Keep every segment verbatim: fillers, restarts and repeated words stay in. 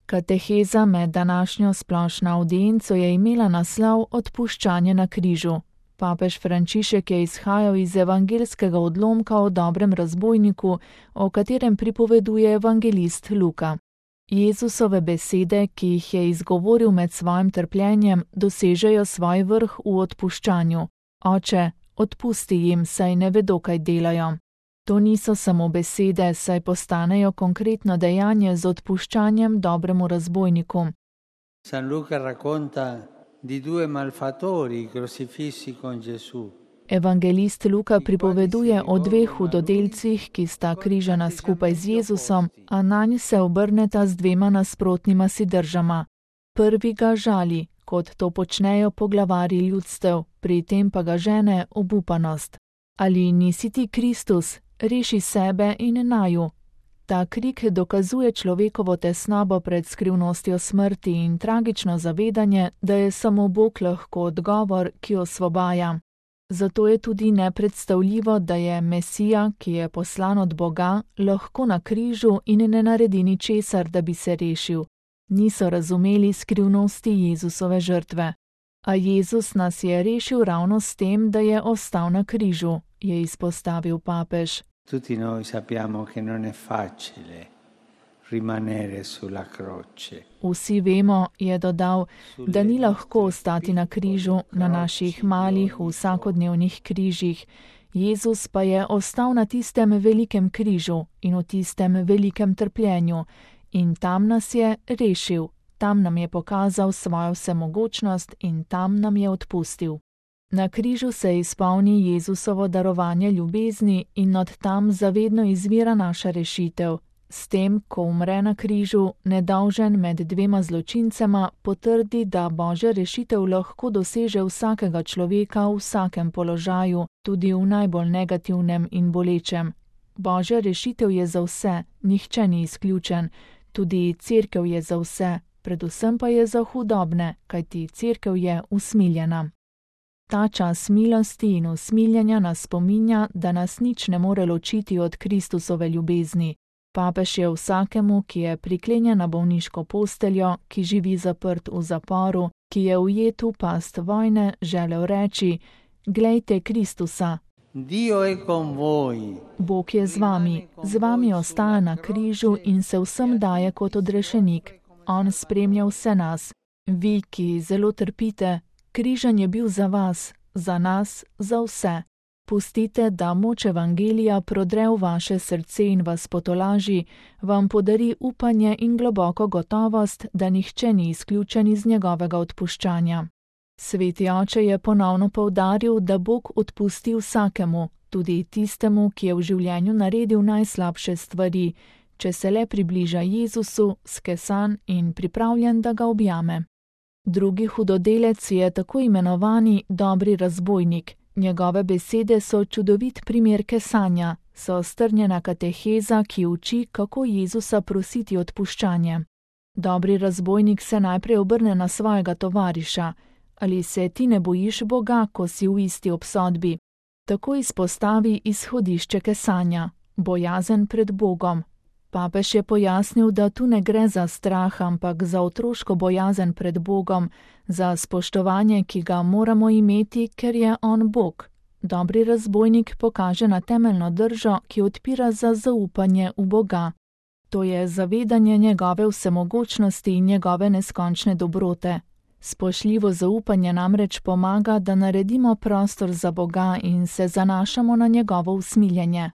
Kateheza med današnjo splošno avdienco je imela naslov Odpuščanje na križu. Papež Frančišek je izhajal iz evangeljskega odlomka o dobrem razbojniku, o katerem pripoveduje evangelist Luka. Jezusove besede, ki jih je izgovoril med svojim trpljenjem, dosežejo svoj vrh v odpuščanju. Oče, odpusti jim, saj ne vedo, kaj delajo. To niso samo besede, saj postanejo konkretno dejanje z odpuščanjem dobremu razbojniku. San Luca racconta di due malfattori crocifissi con Gesù. Evangelist Luka pripoveduje o dveh hudodelcih, ki sta križana skupaj z Jezusom, a nanj se obrneta z dvema nasprotnima si držama. Prvi ga žali, kot to počnejo poglavarji ljudstev, pri tem pa ga žene obupanost. Ali nisi ti Kristus, reši sebe in naju. Ta krik dokazuje človekovo tesnobo pred skrivnostjo smrti in tragično zavedanje, da je samo Bog lahko odgovor, ki osvobaja. Zato je tudi nepredstavljivo, da je Mesija, ki je poslan od Boga, lahko na križu in ne naredi ničesar, da bi se rešil. Niso razumeli skrivnosti Jezusove žrtve. A Jezus nas je rešil ravno s tem, da je ostal na križu, je izpostavil papež. Tutti noi sappiamo che non è facile rimanere sulla croce. Vsi vemo, je dodal, da ni lahko ostati na križu, na naših malih vsakodnevnih križih. Jezus pa je ostal na tistem velikem križu in v tistem velikem trpljenju in tam nas je rešil, tam nam je pokazal svojo vsemogočnost in tam nam je odpustil. Na križu se izpolni Jezusovo darovanje ljubezni in od tam zavedno izvira naša rešitev. S tem, ko umre na križu, nedolžen med dvema zločincema, potrdi, da Božja rešitev lahko doseže vsakega človeka v vsakem položaju, tudi v najbolj negativnem in bolečem. Božja rešitev je za vse, nihče ni izključen, tudi cerkev je za vse, predvsem pa je za hudobne, kajti cerkev je usmiljena. Ta čas milosti in usmiljenja nas spominja, da nas nič ne more ločiti od Kristusove ljubezni. Papež je vsakemu, ki je priklenjen na bolniško posteljo, ki živi zaprt v zaporu, ki je ujet v past vojne, želel reči: Glejte Kristusa. Dio è con voi. Bog je z vami, z vami ostaja na križu in se vsem daje kot odrešenik. On spremlja vse nas. Vi, ki zelo trpite, križan je bil za vas, za nas, za vse. Pustite, da moč evangelija prodre v vaše srce in vas potolaži, vam podari upanje in globoko gotovost, da nihče ni izključen iz njegovega odpuščanja. Sveti oče je ponovno poudaril, da Bog odpusti vsakemu, tudi tistemu, ki je v življenju naredil najslabše stvari, če se le približa Jezusu, skesan in pripravljen, da ga objame. Drugi hudodelec je tako imenovani dobri razbojnik. Njegove besede so čudovit primer kesanja, so strnjena kateheza, ki uči, kako Jezusa prositi odpuščanje. Dobri razbojnik se najprej obrne na svojega tovariša. Ali se ti ne bojiš Boga, ko si v isti obsodbi? Tako izpostavi izhodišče kesanja, bojazen pred Bogom. Papež je pojasnil, da tu ne gre za strah, ampak za otroško bojazen pred Bogom, za spoštovanje, ki ga moramo imeti, ker je on Bog. Dobri razbojnik pokaže na temeljno držo, ki odpira za zaupanje v Boga. To je zavedanje njegove vsemogočnosti in njegove neskončne dobrote. Spoštljivo zaupanje namreč pomaga, da naredimo prostor za Boga in se zanašamo na njegovo usmiljenje.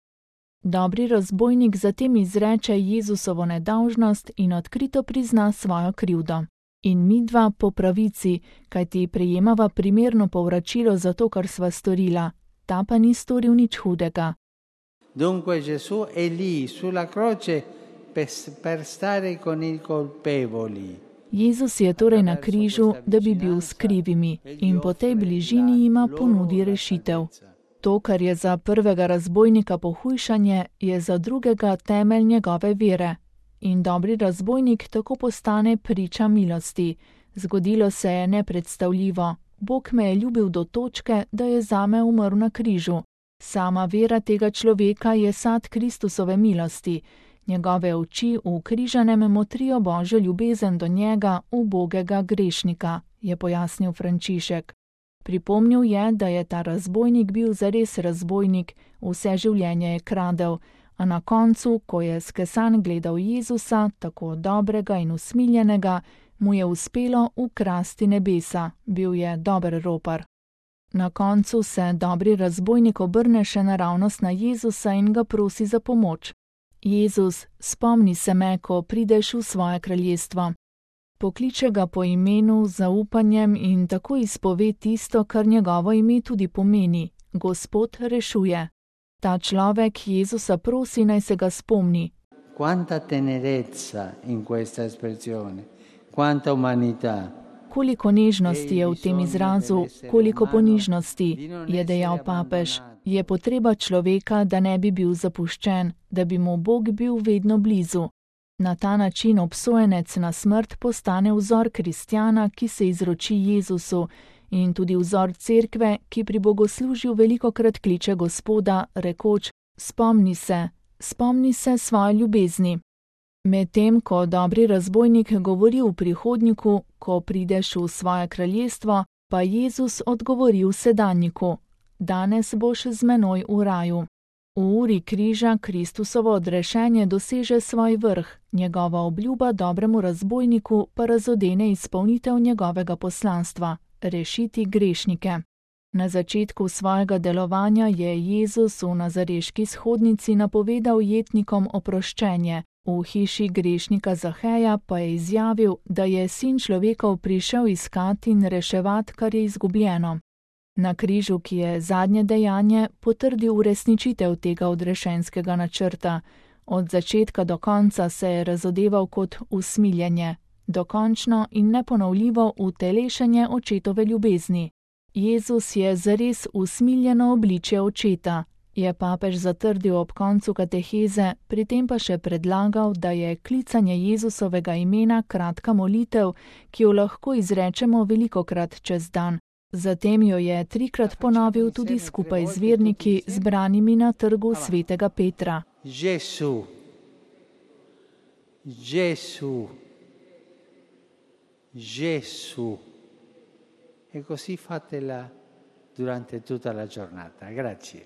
Dobri razbojnik zatem izreče Jezusovo nedolžnost in odkrito prizna svojo krivdo. In midva po pravici, kajti prejemava primerno povračilo za to, kar sva storila, ta pa ni storil nič hudega. Dunque Gesù è lì sulla croce per, per stare con i colpevoli. Jezus je torej na križu, da bi bil s krivimi in po tej bližini jima ponudi rešitev. To, kar je za prvega razbojnika pohujšanje, je za drugega temelj njegove vere. In dobri razbojnik tako postane priča milosti. Zgodilo se je nepredstavljivo. Bog me je ljubil do točke, da je zame umrl na križu. Sama vera tega človeka je sad Kristusove milosti. Njegove oči v križanem motrijo Božjo ljubezen do njega, ubogega grešnika, je pojasnil Frančišek. Pripomnil je, da je ta razbojnik bil zares razbojnik, vse življenje je kradel, a na koncu, ko je skesan gledal Jezusa, tako dobrega in usmiljenega, mu je uspelo ukrasti nebesa, bil je dober ropar. Na koncu se dobri razbojnik obrne še naravnost na Jezusa in ga prosi za pomoč. Jezus, spomni se me, ko prideš v svoje kraljestvo. Pokliče ga po imenu, zaupanjem in tako izpove tisto, kar njegovo ime tudi pomeni. Gospod rešuje. Ta človek Jezusa prosi, naj se ga spomni. Quanta tenerezza in questa espressione, quanta umanità. Koliko nežnosti je v tem izrazu, koliko ponižnosti, je dejal papež. Je potreba človeka, da ne bi bil zapuščen, da bi mu Bog bil vedno blizu. Na ta način obsojenec na smrt postane vzor kristjana, ki se izroči Jezusu, in tudi vzor cerkve, ki pri bogoslužju velikokrat kliče Gospoda, rekoč: spomni se, spomni se svoje ljubezni. Medtem ko dobri razbojnik govori v prihodnjiku, ko prideš v svoje kraljestvo, pa Jezus odgovori v sedanjiku: danes boš z menoj v raju. V uri križa Kristusovo odrešenje doseže svoj vrh, njegova obljuba dobremu razbojniku pa razodene izpolnitev njegovega poslanstva – rešiti grešnike. Na začetku svojega delovanja je Jezus v nazareški shodnici napovedal jetnikom oproščenje, v hiši grešnika Zaheja pa je izjavil, da je sin človekov prišel iskati in reševati, kar je izgubljeno. Na križu, ki je zadnje dejanje, potrdi uresničitev tega odrešenskega načrta. Od začetka do konca se je razodeval kot usmiljenje, dokončno in neponovljivo utelešenje očetove ljubezni. Jezus je zares usmiljeno obličje očeta, je papež zatrdil ob koncu kateheze, pri tem pa še predlagal, da je klicanje Jezusovega imena kratka molitev, ki jo lahko izrečemo velikokrat čez dan. Zatem jo je trikrat ponovil tudi skupaj z verniki, zbranimi na trgu svetega Petra. Gesù, Gesù, Gesù. E così fatela durante tutta la giornata. Grazie.